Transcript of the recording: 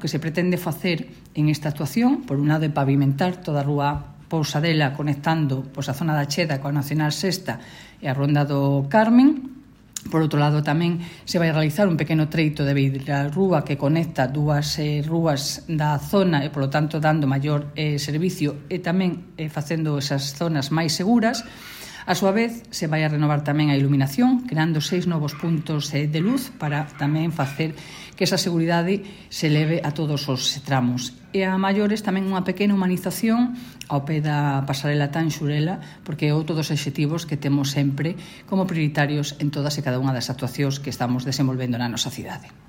que se pretende facer en esta actuación, por un lado, é pavimentar toda a rúa Pousadela conectando a zona da Cheda coa Nacional Sexta e a Ronda do Carmen. Por outro lado, tamén se vai realizar un pequeno treito de beirarrúa que conecta dúas rúas da zona e, polo tanto, dando maior servicio e tamén facendo esas zonas máis seguras. A súa vez, se vai a renovar tamén a iluminación, creando 6 novos puntos de luz para tamén facer que esa seguridade se leve a todos os tramos. E a maiores tamén unha pequena humanización ao pé da pasarela Tanxurela, porque é outro dos obxectivos que temos sempre como prioritarios en todas e cada unha das actuacións que estamos desenvolvendo na nosa cidade.